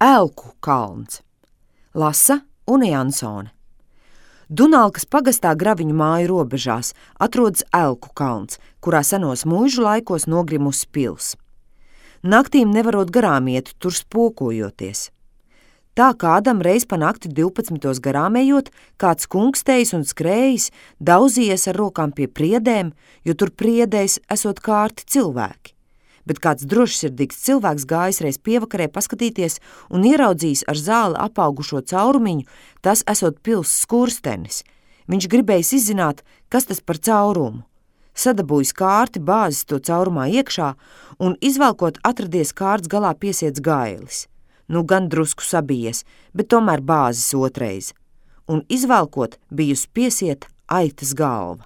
Elku kalns. Lasa Une Jansone. Dunalkas pagastā Graviņu māju robežās atrodas Elku kalns, kurā senos mūžu laikos nogrimusi pils. Naktīm nevarot garām iet, tur spokojoties. Tā kādam reiz pa nakti 12 garām ejot, kāds kungstējis un skrējis, dauzījies ar rokām pie priedēm, jo tur priedēs esot kārti cilvēki. Bet kāds drošsirdīgs cilvēks gājis reiz pievakarē paskatīties un ieraudzījis ar zāli apaugušo caurumiņu, tas esot pils skurstenis. Viņš gribējis izzināt, kas tas par caurumu. Sadabūjis kārti, bāzis to caurumā iekšā un izvelkot atradies kārts galā piesiets gailis. Nu gan drusku sabijies, bet tomēr bāzis otreiz. Un izvelkot bijusi piesieta aitas galva.